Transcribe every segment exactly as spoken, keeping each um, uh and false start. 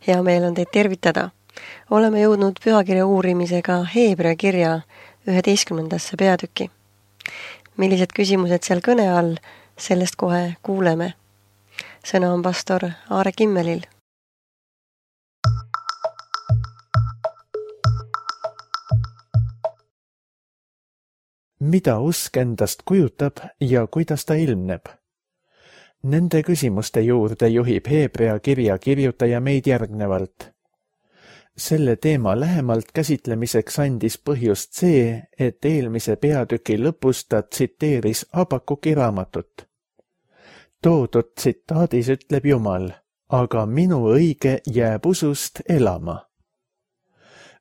Hea meel on teid tervitada. Oleme jõudnud pühakirja uurimisega Heebrea kirja üheteistkümnendasse peatüki. Millised küsimused seal kõne all, sellest kohe kuuleme. Sõna on pastor Aare Kimmelil. Mida usk endast kujutab ja kuidas ta ilmneb? Nende küsimuste juurde juhib Heebrea kirja kirjutaja meid järgnevalt. Selle teema lähemalt käsitlemiseks andis põhjust see, et eelmise peatüki lõpus ta tsiteeris Habakuki raamatut. Toodud tsitaadis ütleb Jumal, aga minu õige jääb usust elama.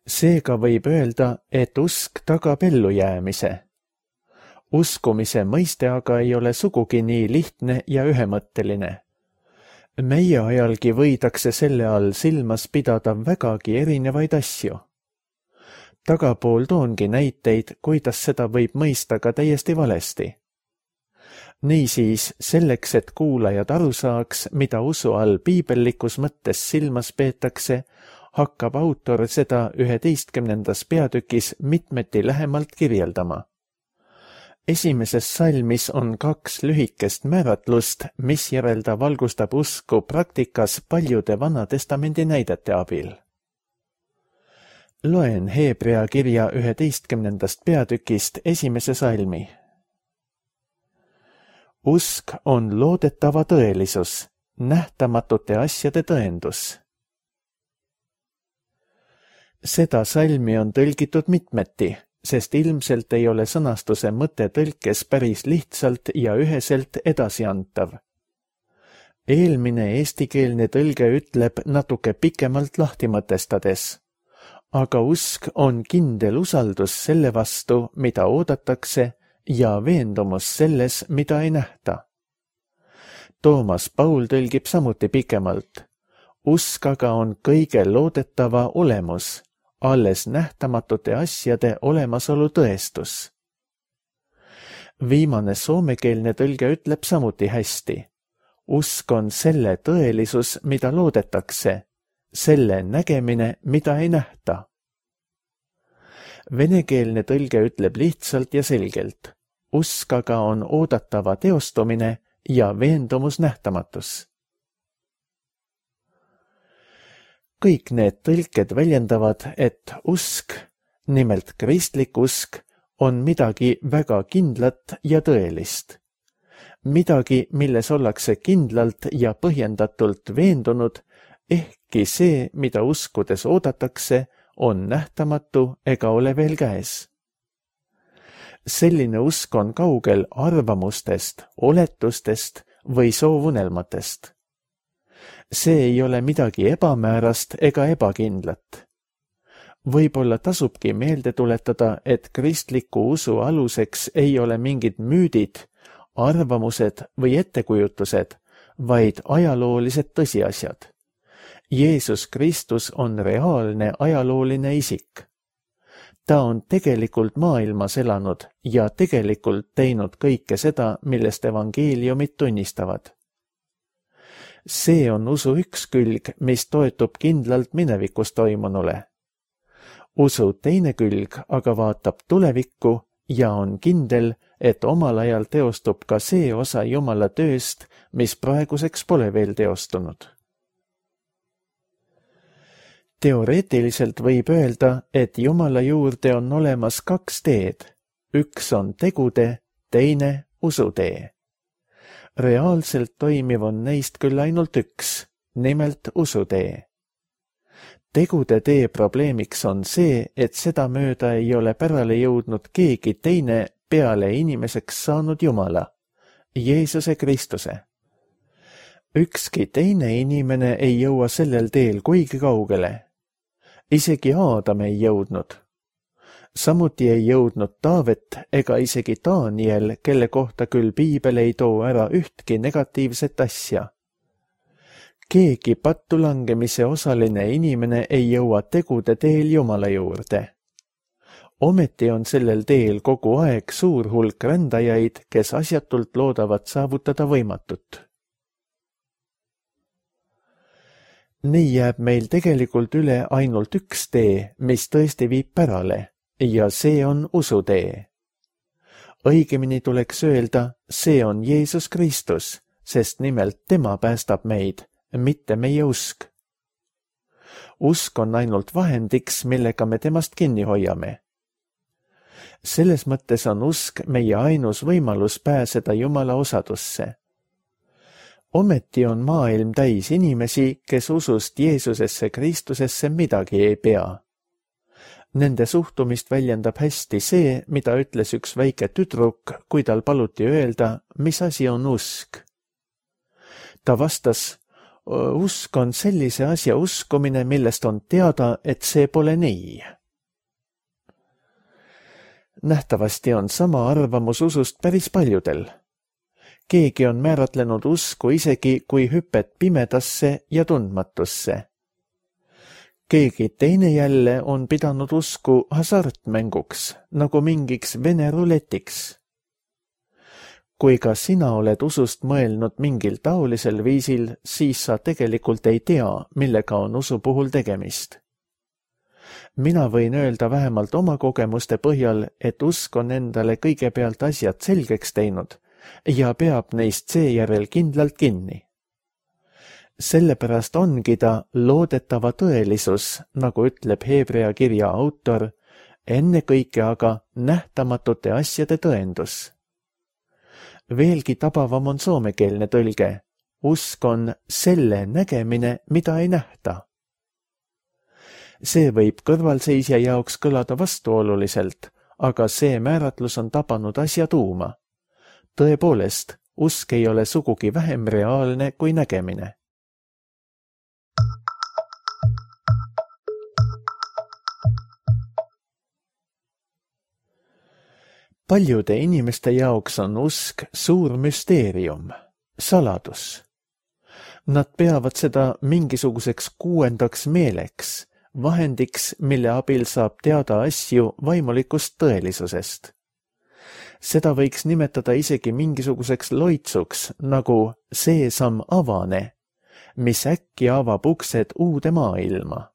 Seega võib öelda, et usk tagab ellujäämise. Uskumise mõiste aga ei ole sugugi nii lihtne ja ühemõtteline. Meie ajalgi võidakse selle all silmas pidada vägagi erinevaid asju. Tagapool toongi näiteid, kuidas seda võib mõista ka täiesti valesti. Niisiis, selleks, et kuulajad aru saaks, mida usu all piibellikus mõttes silmas peetakse, hakkab autor seda üheteistkümnendas peatükis mitmeti lähemalt kirjeldama. Esimeses salmis on kaks lühikest määratlust, mis järel ta valgustab usku praktikas paljude Vanatestamendi näidete abil. Loen Heebrea kirja üheteistkümnendast peatükist esimese salmi. Usk on loodetava tõelisus, nähtamatute asjade tõendus. Seda salmi on tõlgitud mitmeti, sest ilmselt ei ole sõnastuse mõte tõlkes päris lihtsalt ja üheselt edasiantav. Eelmine eestikeelne tõlge ütleb natuke pikemalt lahti mõtestades, aga usk on kindel usaldus selle vastu, mida oodatakse, ja veendumus selles, mida ei nähta. Toomas Paul tõlgib samuti pikemalt. Usk aga on kõige loodetava olemus, alles nähtamatute asjade olemasolu tõestus. Viimane soomekeelne tõlge ütleb samuti hästi. Usk on selle tõelisus, mida loodetakse, selle nägemine, mida ei nähta. Venekeelne tõlge ütleb lihtsalt ja selgelt. Usk aga on oodatava teostumine ja veendumus nähtamatus. Kõik need tõlked väljendavad, et usk, nimelt kristlik usk, on midagi väga kindlat ja tõelist. Midagi, milles ollakse kindlalt ja põhjendatult veendunud, ehkki see, mida uskudes oodatakse, on nähtamatu ega ole veel käes. Selline usk on kaugel arvamustest, oletustest või soovunelmatest. See ei ole midagi ebamäärast ega ebakindlat. Võib-olla tasubki meelde tuletada, et kristliku usu aluseks ei ole mingid müüdid, arvamused või ettekujutused, vaid ajaloolised tõsiasjad. Jeesus Kristus on reaalne ajalooline isik. Ta on tegelikult maailmas elanud ja tegelikult teinud kõike seda, millest evangeeliumid tunnistavad. See on usu üks külg, mis toetub kindlalt minevikus toimunule. Usu teine külg aga vaatab tulevikku ja on kindel, et omal ajal teostub ka see osa Jumala tööst, mis praeguseks pole veel teostunud. Teoreetiliselt võib öelda, et Jumala juurde on olemas kaks teed. Üks on tegude, teine usutee. Reaalselt toimiv on neist küll ainult üks, nimelt usutee. Tegude tee probleemiks on see, et seda mööda ei ole pärale jõudnud keegi teine peale inimeseks saanud Jumala, Jeesuse Kristuse. Ükski teine inimene ei jõua sellel teel kuigi kaugele. Isegi Aadam ei jõudnud. Samuti ei jõudnud Taavet ega isegi Daniel, kelle kohta küll piibel ei too ära ühtki negatiivset asja. Keegi pattu langemise osaline inimene ei jõua tegude teel Jumala juurde. Ometi on sellel teel kogu aeg suur hulk rändajaid, kes asjatult loodavad saavutada võimatut. Nii jääb meil tegelikult üle ainult üks tee, mis tõesti viib pärale, ja see on usutee. Õigemini tuleks öelda, see on Jeesus Kristus, sest nimelt tema päästab meid, mitte meie usk. Usk on ainult vahendiks, millega me temast kinni hoiame. Selles mõttes on usk meie ainus võimalus pääseda Jumala osadusse. Ometi on maailm täis inimesi, kes usust Jeesusesse Kristusesse midagi ei pea. Nende suhtumist väljendab hästi see, mida ütles üks väike tüdruk, kui tal paluti öelda, mis asi on usk. Ta vastas, usk on sellise asja uskumine, millest on teada, et see pole nii. Nähtavasti on sama arvamus usust päris paljudel. Keegi on määratlenud usku isegi kui hüpet pimedasse ja tundmatusse. Keegi teine jälle on pidanud usku hasartmänguks, nagu mingiks vene ruletiks. Kui ka sina oled usust mõelnud mingil taolisel viisil, siis sa tegelikult ei tea, millega on usu puhul tegemist. Mina võin öelda vähemalt oma kogemuste põhjal, et usk on endale kõigepealt asjad selgeks teinud ja peab neist seejärel kindlalt kinni. Sellepärast ongi ta loodetava tõelisus, nagu ütleb Hebrea kirja autor, ennekõike aga nähtamatute asjade tõendus. Veelgi tabavam on soomekeelne tõlge. Usk on selle nägemine, mida ei nähta. See võib kõrvalseisja jaoks kõlada vastuoluliselt, aga see määratlus on tabanud asja tuuma. Tõepoolest, usk ei ole sugugi vähem reaalne kui nägemine. Paljude inimeste jaoks on usk suur müsteerium, saladus. Nad peavad seda mingisuguseks kuuendaks meeleks, vahendiks, mille abil saab teada asju vaimulikust tõelisusest. Seda võiks nimetada isegi mingisuguseks loitsuks, nagu seesam avane, mis äkki avab uksed uude maailma.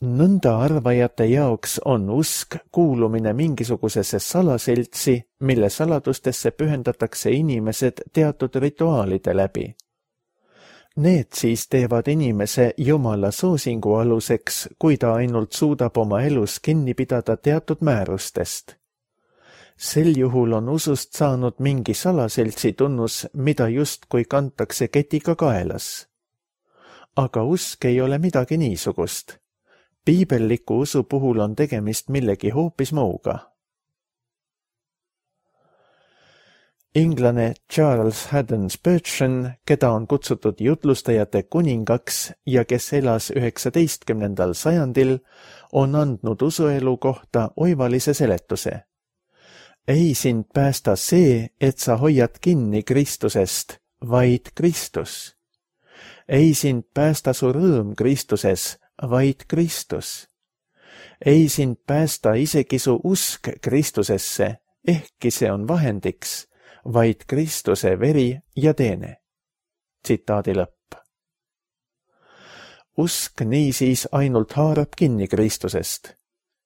Nõnda arvajate jaoks on usk kuulumine mingisugusesse salaseltsi, mille saladustesse pühendatakse inimesed teatud rituaalide läbi. Need siis teevad inimese Jumala soosingu aluseks, kui ta ainult suudab oma elus kinni pidada teatud määrustest. Sel juhul on usust saanud mingi salaseltsi tunnus, mida justkui kantakse ketiga kaelas. Aga usk ei ole midagi niisugust. Piibelliku usu puhul on tegemist millegi hoopis muuga. Inglane Charles Haddon Spurgeon, keda on kutsutud jutlustajate kuningaks ja kes elas üheksateistkümnendal sajandil, on andnud usuelu kohta oivalise seletuse. Ei sind päästa see, et sa hoiad kinni Kristusest, vaid Kristus. Ei sind päästa su rõõm Kristuses, vaid Kristus. Ei sind päästa isegi su usk Kristusesse, ehkki see on vahendiks, vaid Kristuse veri ja teene. Tsitaadi lõpp. Usk niisiis ainult haarab kinni Kristusest.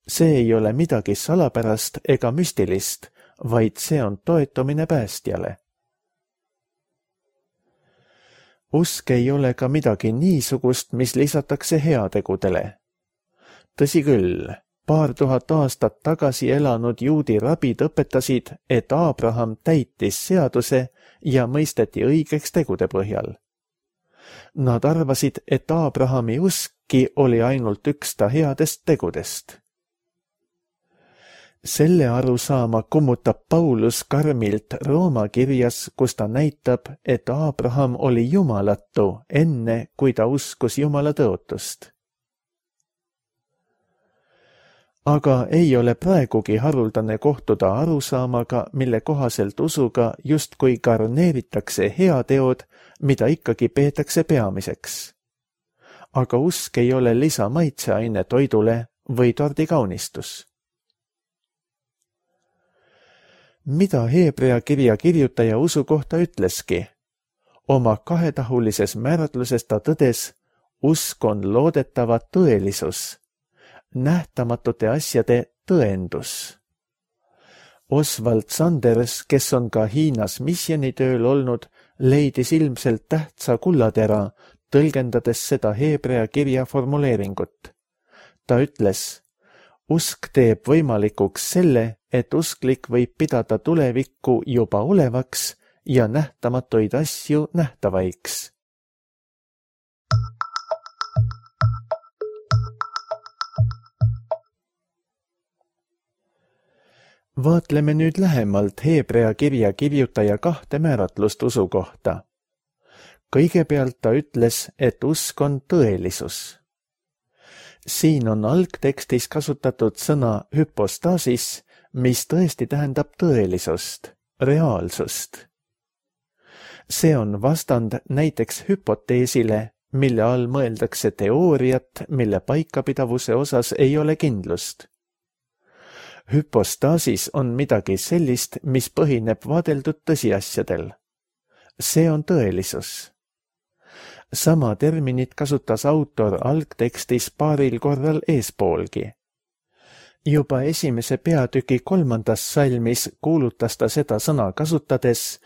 See ei ole midagi salapärast ega müstilist, vaid see on toetumine päästjale. Usk ei ole ka midagi niisugust, mis lisatakse heategudele. Tõsi küll, paar tuhat aastat tagasi elanud juudi rabid õpetasid, et Abraham täitis seaduse ja mõisteti õigeks tegude põhjal. Nad arvasid, et Abrahami uskki oli ainult üks ta headest tegudest. Selle arusaama kummutab Paulus karmilt Rooma kirjas, kus ta näitab, et Abraham oli jumalatu enne, kui ta uskus Jumala tõotust. Aga ei ole praegugi haruldane kohtuda arusaamaga, mille kohaselt usuga justkui garneeritakse heateod, mida ikkagi peetakse peamiseks. Aga usk ei ole lisamaitseaine toidule või tordikaunistus. Mida Hebrea kirja kirjutaja usu kohta ütleski? Oma kahetahulises määratluses ta tõdes, usk on loodetava tõelisus, nähtamatute asjade tõendus. Oswald Sanders, kes on ka Hiinas missioonitööl olnud, leidis ilmselt tähtsa kullatera, tõlgendades seda heebrea kirja formuleeringut. Ta ütles, usk teeb võimalikuks selle, et usklik võib pidada tulevikku juba olevaks ja nähtamatuid asju nähtavaiks. Vaatleme nüüd lähemalt heebrea kirja kirjutaja kahte määratlust usu kohta. Kõigepealt ta ütles, et usk on tõelisus. Siin on algtekstis kasutatud sõna hüpostaasis, mis tõesti tähendab tõelisust, reaalsust. See on vastand näiteks hüpoteesile, mille all mõeldakse teooriat, mille paikapidavuse osas ei ole kindlust. Hüpostaasis on midagi sellist, mis põhineb vaadeldud tõsiasjadel. See on tõelisus. Sama terminit kasutas autor algtekstis paaril korral eespoolgi. Juba esimese peatüki kolmandas salmis kuulutas ta seda sõna kasutades,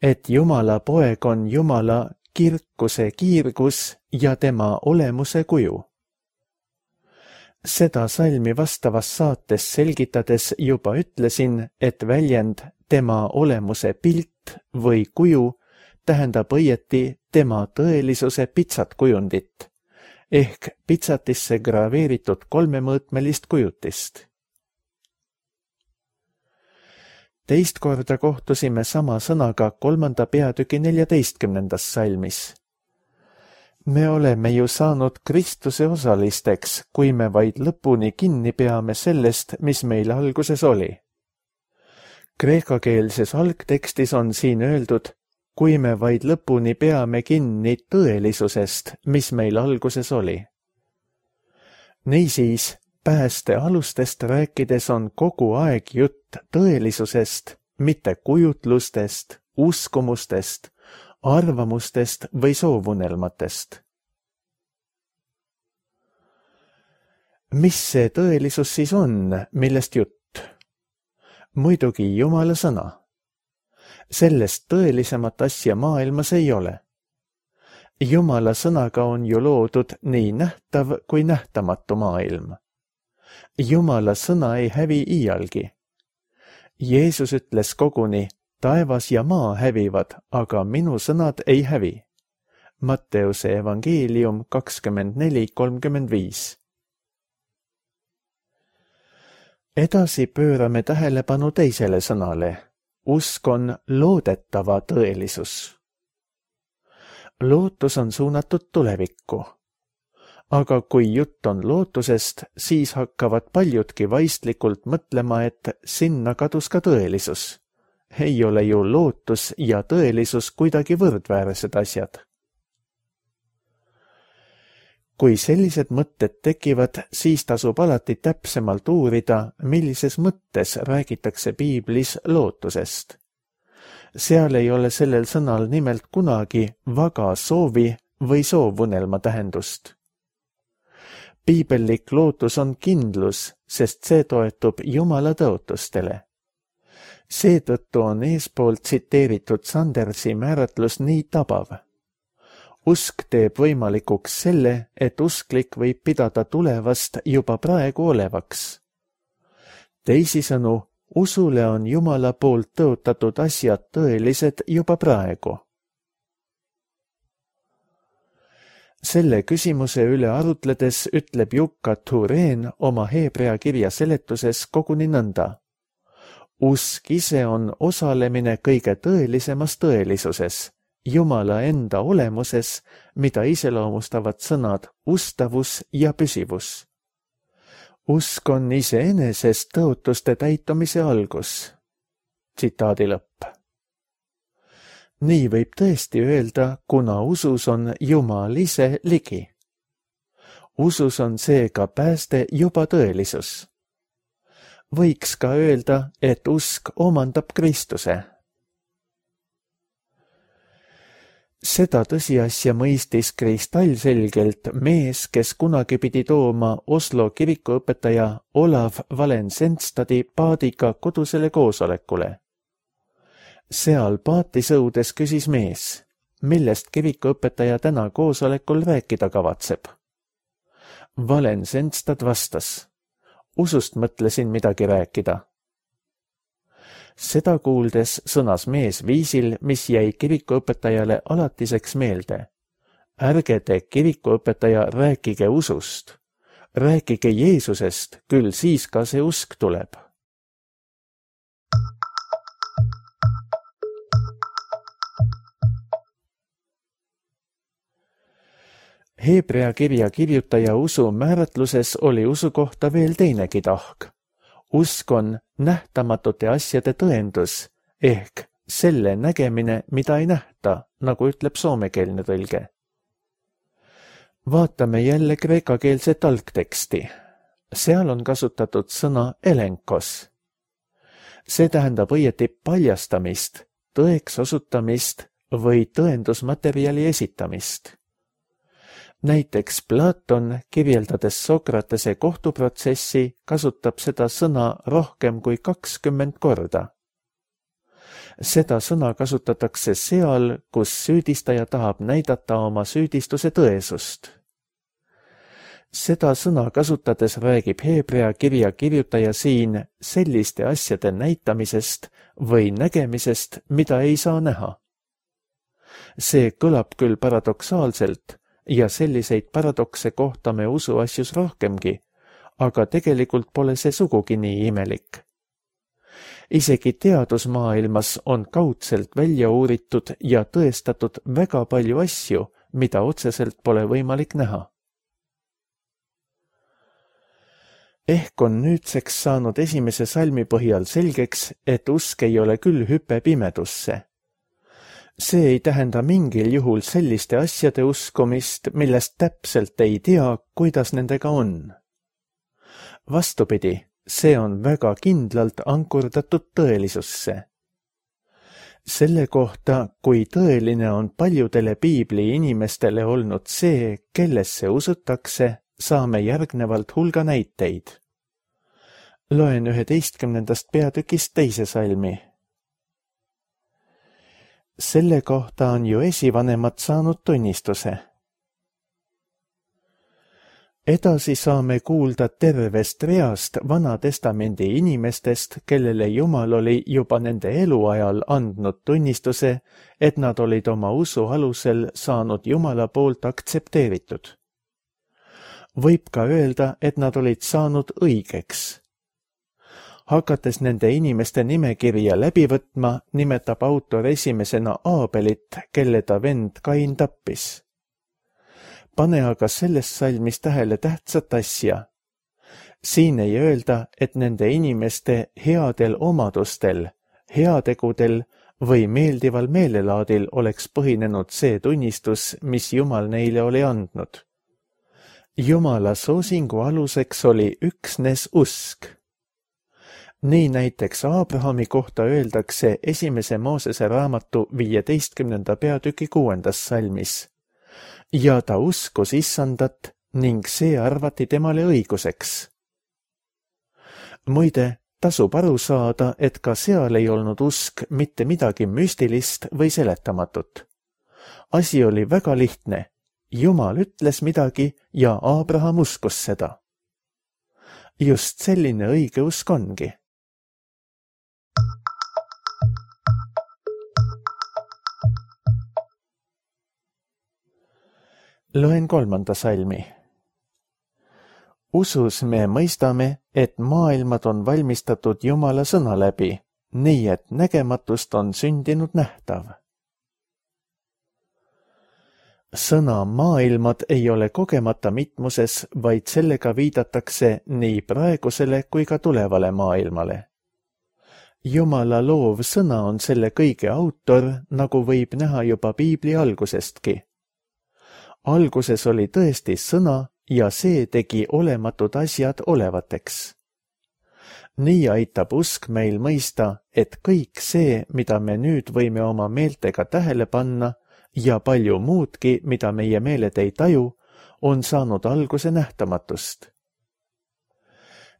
et Jumala poeg on Jumala kirkuse kiirgus ja tema olemuse kuju. Seda salmi vastavas saates selgitades juba ütlesin, et väljend tema olemuse pilt või kuju tähendab õieti tema tõelisuse pitsatkujundit, ehk pitsatisse graveeritud kolmemõõtmelist kujutist. Teist korda kohtusime sama sõnaga kolmanda peatüki neljateistkümnendas salmis. Me oleme ju saanud Kristuse osalisteks, kui me vaid lõpuni kinni peame sellest, mis meil alguses oli. Kreekakeelses algtekstis on siin öeldud, kui me vaid lõpuni peame kinni tõelisusest, mis meil alguses oli. Niisiis, pääste alustest rääkides on kogu aeg jutt tõelisusest, mitte kujutlustest, uskumustest, arvamustest või soovunelmatest. Mis see tõelisus siis on, millest jutt? Muidugi Jumala sõna. Sellest tõelisemat asja maailmas ei ole. Jumala sõnaga on ju loodud nii nähtav kui nähtamatu maailm. Jumala sõna ei hävi iialgi. Jeesus ütles koguni, taevas ja maa hävivad, aga minu sõnad ei hävi. Matteuse evangeelium kakskümmend neli kolmkümmend viis. Edasi pöörame tähelepanu teisele sõnale. Usk on loodetava tõelisus. Lootus on suunatud tulevikku. Aga kui jutt on lootusest, siis hakkavad paljudki vaistlikult mõtlema, et sinna kadus ka tõelisus. Ei ole ju lootus ja tõelisus kuidagi võrdväärsed asjad. Kui sellised mõtted tekivad, siis tasub alati täpsemalt uurida, millises mõttes räägitakse piiblis lootusest. Seal ei ole sellel sõnal nimelt kunagi vaga soovi või soovunelma tähendust. Piibellik lootus on kindlus, sest see toetub Jumala tõotustele. Seetõttu on eespool tsiteeritud Sandersi määratlus nii tabav. Usk teeb võimalikuks selle, et usklik võib pidada tulevast juba praegu olevaks. Teisisõnu, usule on Jumala poolt tõotatud asjad tõelised juba praegu. Selle küsimuse üle arutledes ütleb Jukka Tureen oma heebrea kirja seletuses koguni nõnda. Usk ise on osalemine kõige tõelisemas tõelisuses, Jumala enda olemuses, mida iseloomustavad sõnad ustavus ja püsivus. Usk on iseenesest tõotuste täitumise algus. Tsitaadi lõpp. Nii võib tõesti öelda, kuna usus on Jumal ise ligi. Usus on seega pääste juba tõelisus. Võiks ka öelda, et usk omandab Kristuse. Seda tõsiasja mõistis kristallselgelt mees, kes kunagi pidi tooma Oslo kirikuõpetaja Olav Valensenstadi paadiga kodusele koosolekule. Seal paati sõudes küsis mees, millest kirikuõpetaja täna koosolekul rääkida kavatseb. Valensenstad vastas, usust mõtlesin midagi rääkida. Seda kuuldes sõnas mees viisil, mis jäi kirikuõpetajale alatiseks meelde. Ärge te kirikuõpetaja rääkige usust. Rääkige Jeesusest, küll siis ka see usk tuleb. Heebrea kirja kirjutaja usu määratluses oli usu kohta veel teinegi tahk. Usk on nähtamatute asjade tõendus, ehk selle nägemine, mida ei nähta, nagu ütleb soomekeelne tõlge. Vaatame jälle kreekakeelset algteksti. Seal on kasutatud sõna elenkos. See tähendab õieti paljastamist, tõeks osutamist või tõendusmaterjali esitamist. Näiteks Platon, kirjeldades Sokratese kohtuprotsessi, kasutab seda sõna rohkem kui kakskümmend korda. Seda sõna kasutatakse seal, kus süüdistaja tahab näidata oma süüdistuse tõesust. Seda sõna kasutades räägib Heebrea kirja kirjutaja siin selliste asjade näitamisest või nägemisest, mida ei saa näha. See kõlab küll paradoksaalselt, ja selliseid paradokse kohtame usuasjus rohkemgi, aga tegelikult pole see sugugi nii imelik. Isegi teadusmaailmas on kaudselt välja uuritud ja tõestatud väga palju asju, mida otseselt pole võimalik näha. Ehk on nüüdseks saanud esimese salmi põhjal selgeks, et usk ei ole küll hüpe pimedusse. See ei tähenda mingil juhul selliste asjade uskumist, millest täpselt ei tea, kuidas nendega on. Vastupidi, see on väga kindlalt ankurdatud tõelisusse. Selle kohta, kui tõeline on paljudele piibli inimestele olnud see, kellesse usutakse, saame järgnevalt hulga näiteid. Loen üheteistkümnendast peatükist teise salmi. Selle kohta on ju esivanemad saanud tunnistuse. Edasi saame kuulda tervest reast Vana Testamendi inimestest, kellele Jumal oli juba nende eluajal andnud tunnistuse, et nad olid oma usu alusel saanud Jumala poolt aktsepteeritud. Võib ka öelda, et nad olid saanud õigeks. Hakates nende inimeste nimekirja läbi võtma, nimetab autor esimesena Aabelit, kelle ta vend Kain tappis. Pane aga selles salmis tähele tähtsat asja. Siin ei öelda, et nende inimeste headel omadustel, heategudel või meeldival meelelaadil oleks põhinenud see tunnistus, mis Jumal neile oli andnud. Jumala soosingu aluseks oli üksnes usk. Nii näiteks Aabrahami kohta öeldakse esimese Moosese raamatu viieteistkümnenda peatüki kuuendas salmis. Ja ta uskus Issandat ning see arvati temale õiguseks. Muide, tasub aru saada, et ka seal ei olnud usk mitte midagi müstilist või seletamatut. Asi oli väga lihtne. Jumal ütles midagi ja Aabraham uskus seda. Just selline õige usk ongi. Loen kolmanda salmi. Usus me mõistame, et maailmad on valmistatud Jumala sõna läbi, nii et nägematust on sündinud nähtav. Sõna maailmad ei ole kogemata mitmuses, vaid sellega viidatakse nii praegusele kui ka tulevale maailmale. Jumala loov sõna on selle kõige autor, nagu võib näha juba piibli algusestki. Alguses oli tõesti sõna ja see tegi olematud asjad olevateks. Nii aitab usk meil mõista, et kõik see, mida me nüüd võime oma meeltega tähele panna ja palju muudki, mida meie meeled ei taju, on saanud alguse nähtamatust.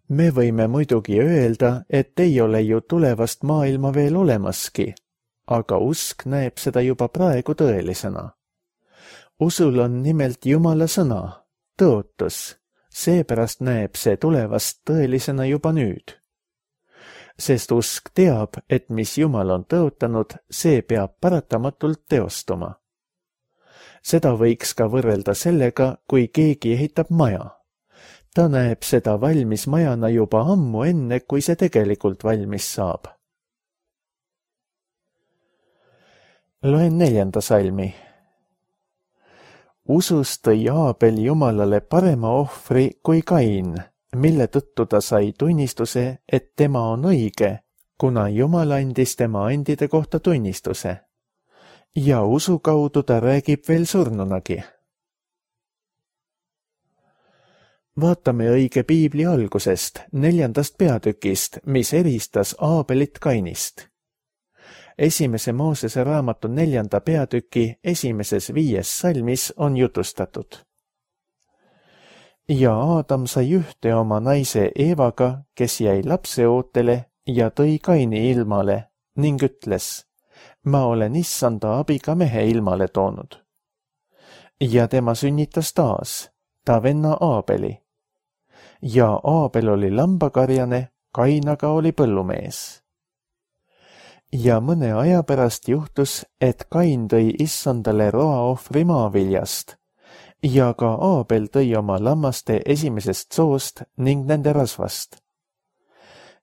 Me võime muidugi öelda, et ei ole ju tulevast maailma veel olemaski, aga usk näeb seda juba praegu tõelisena. Usul on nimelt Jumala sõna, tõotus, seepärast näeb see tulevast tõelisena juba nüüd. Sest usk teab, et mis Jumal on tõotanud, see peab paratamatult teostuma. Seda võiks ka võrrelda sellega, kui keegi ehitab maja. Ta näeb seda valmis majana juba ammu enne, kui see tegelikult valmis saab. Loen neljanda salmi. Usus tõi Aabel Jumalale parema ohvri kui Kain, mille tõttu ta sai tunnistuse, et tema on õige, kuna Jumal andis tema andide kohta tunnistuse. Ja usu kaudu ta räägib veel surnunagi. Vaatame õige piibli algusest, neljandast peatükist, mis eristas Aabelit Kainist. Esimese Moosese raamatu neljanda peatüki esimeses viies salmis on jutustatud. Ja Aadam sai ühte oma naise Eevaga, kes jäi lapseootele ja tõi Kaini ilmale ning ütles, ma olen issanda abiga mehe ilmale toonud. Ja tema sünnitas taas, ta venna Aabeli. Ja Aabel oli lambakarjane, Kain aga oli põllumees. Ja mõne aja pärast juhtus, et Kain tõi issandale roaohvri maaviljast, ja ka Aabel tõi oma lammaste esimesest soost ning nende rasvast.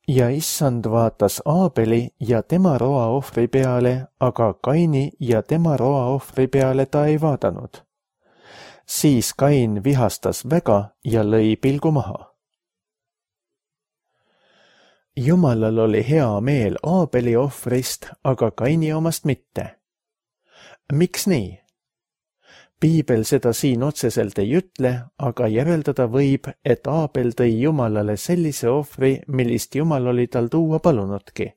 Ja issand vaatas Aabeli ja tema roaohvri peale, aga Kaini ja tema roaohvri peale ta ei vaadanud. Siis Kain vihastas väga ja lõi pilgu maha. Jumalal oli hea meel Aabeli ohvrist, aga Kaini omast mitte. Miks nii? Piibel seda siin otseselt ei ütle, aga järeldada võib, et Aabel tõi Jumalale sellise ohvri, millist Jumal oli tal tuua palunudki.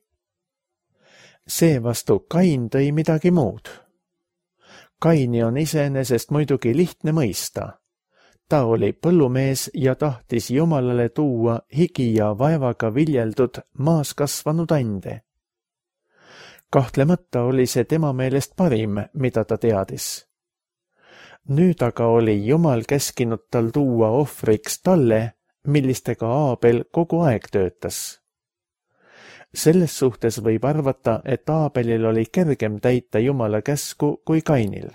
Seevastu Kain tõi midagi muud. Kaini on iseenesest muidugi lihtne mõista. Ta oli põllumees ja tahtis Jumalale tuua higi ja vaevaga viljeldud maas kasvanud ande. Kahtlemata oli see tema meelest parim, mida ta teadis. Nüüd aga oli Jumal käskinud tal tuua ohvriks talle, millistega Aabel kogu aeg töötas. Selles suhtes võib arvata, et Aabelil oli kergem täita Jumala käsku kui Kainil.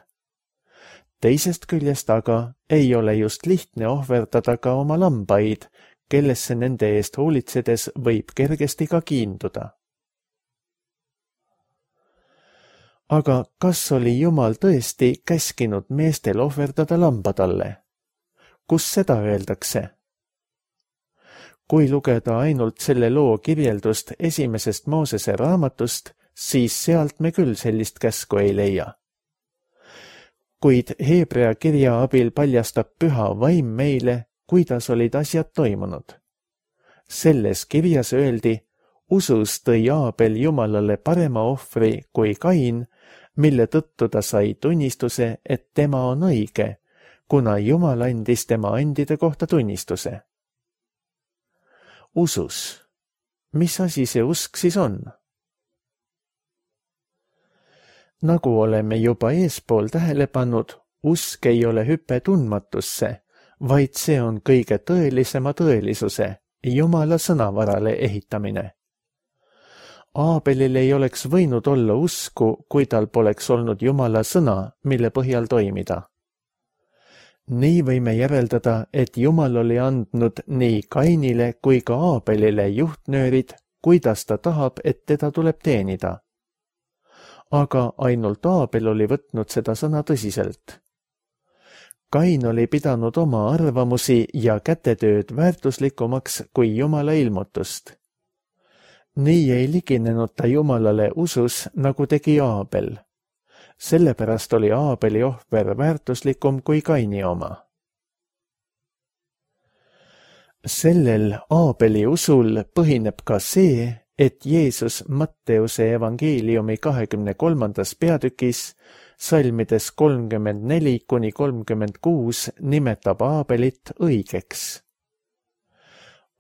Teisest küljest aga ei ole just lihtne ohverdada ka oma lambaid, kellesse nende eest hoolitsedes võib kergesti ka kiinduda. Aga kas oli Jumal tõesti käskinud meestel ohverdada lamba talle? Kus seda öeldakse? Kui lugeda ainult selle loo kirjeldust esimesest Moosese raamatust, siis sealt me küll sellist käsku ei leia. Kuid Heebrea kirja abil paljastab püha vaim meile, kuidas olid asjad toimunud. Selles kirjas öeldi, usus tõi Aabel Jumalale parema ohvri kui Kain, mille tõttu ta sai tunnistuse, et tema on õige, kuna Jumal andis tema andide kohta tunnistuse. Usus. Mis asi see usk siis on? Nagu oleme juba eespool tähele pannud, usk ei ole hüpe tundmatusse, vaid see on kõige tõelisema tõelisuse, Jumala sõnavarale ehitamine. Aabelil ei oleks võinud olla usku, kui tal poleks olnud Jumala sõna, mille põhjal toimida. Nii võime järeldada, et Jumal oli andnud nii Kainile kui ka Aabelile juhtnöörid, kuidas ta tahab, et teda tuleb teenida. Aga ainult Aabel oli võtnud seda sõna tõsiselt. Kain oli pidanud oma arvamusi ja kätetööd väärtuslikumaks kui Jumala ilmutust. Nii ei liginenud ta Jumalale usus, nagu tegi Aabel. Sellepärast oli Aabeli ohver väärtuslikum kui Kaini oma. Sellel Aabeli usul põhineb ka see, et Jeesus Matteuse evangeeliumi kahekümne kolmandas peatükis salmides kolmkümmend neli kuni kolmkümmend kuus nimetab Aabelit õigeks.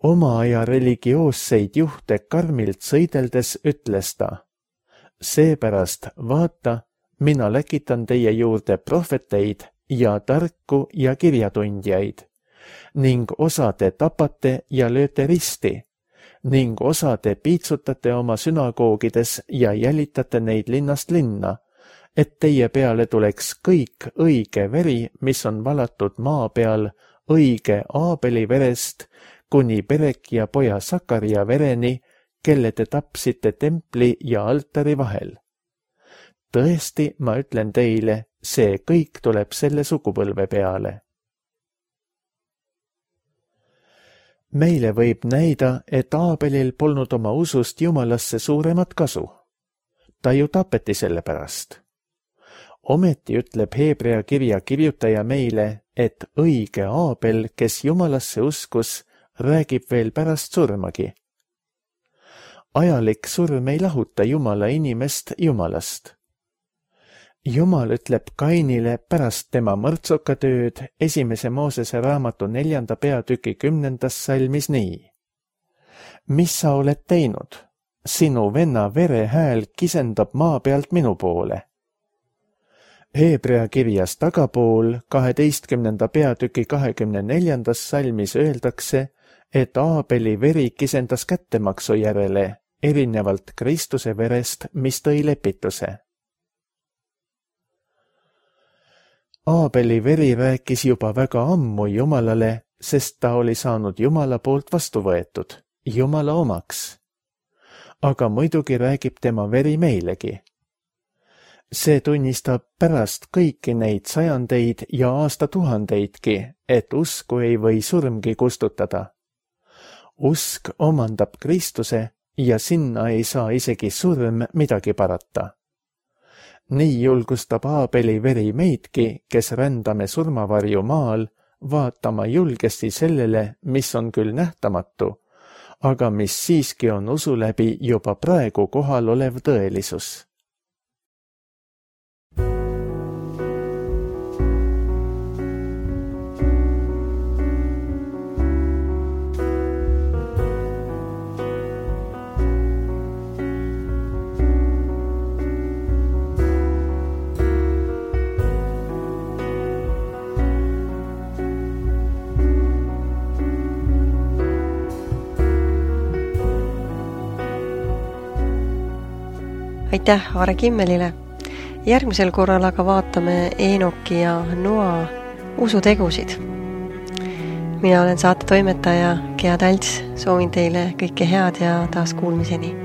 Oma aja religioosseid juhte karmilt sõideldes ütles ta: seepärast vaata, mina läkitan teie juurde prohveteid ja tarku ja kirjatundjaid ning osa te tapate ja lööte risti ning osa te piitsutate oma sünagoogides ja jälitate neid linnast linna, et teie peale tuleks kõik õige veri, mis on valatud maa peal õige Aabeli verest kuni Berekia poja Sakaria vereni, kelle te tapsite templi ja altari vahel. Tõesti, ma ütlen teile, see kõik tuleb selle sugupõlve peale. Meile võib näida, et Aabelil polnud oma usust Jumalasse suuremat kasu. Ta ju tapeti selle pärast. Ometi ütleb Heebrea kirja kirjutaja meile, et õige Aabel, kes Jumalasse uskus, räägib veel pärast surmagi. Ajalik surm ei lahuta Jumala inimest Jumalast. Jumal ütleb Kainile pärast tema mõrtsukatööd esimese Moosese raamatu neljanda peatüki kümnendas salmis nii. Mis sa oled teinud? Sinu venna vere hääl kisendab maa pealt minu poole. Heebrea kirjas tagapool kaheteistkümnenda peatüki kahekümne neljandas salmis öeldakse, et Aabeli veri kisendas kättemaksu järele, erinevalt Kristuse verest, mis tõi lepituse. Aabeli veri rääkis juba väga ammu Jumalale, sest ta oli saanud Jumala poolt vastu võetud, Jumala omaks. Aga muidugi räägib tema veri meilegi. See tunnistab pärast kõiki neid sajandeid ja aastatuhandeidki, et usku ei või surmgi kustutada. Usk omandab Kristuse ja sinna ei saa isegi surm midagi parata. Nii julgustab Aabeli veri meidki, kes rändame surmavarju maal, vaatama julgesti sellele, mis on küll nähtamatu, aga mis siiski on usu läbi juba praegu kohal olev tõelisus. Aitäh Aare Kimmelile. Järgmisel korral aga vaatame Eenoki ja Noa usutegusid. Mina olen saate toimetaja Gea Talts, soovin teile kõike head ja taas kuulmiseni.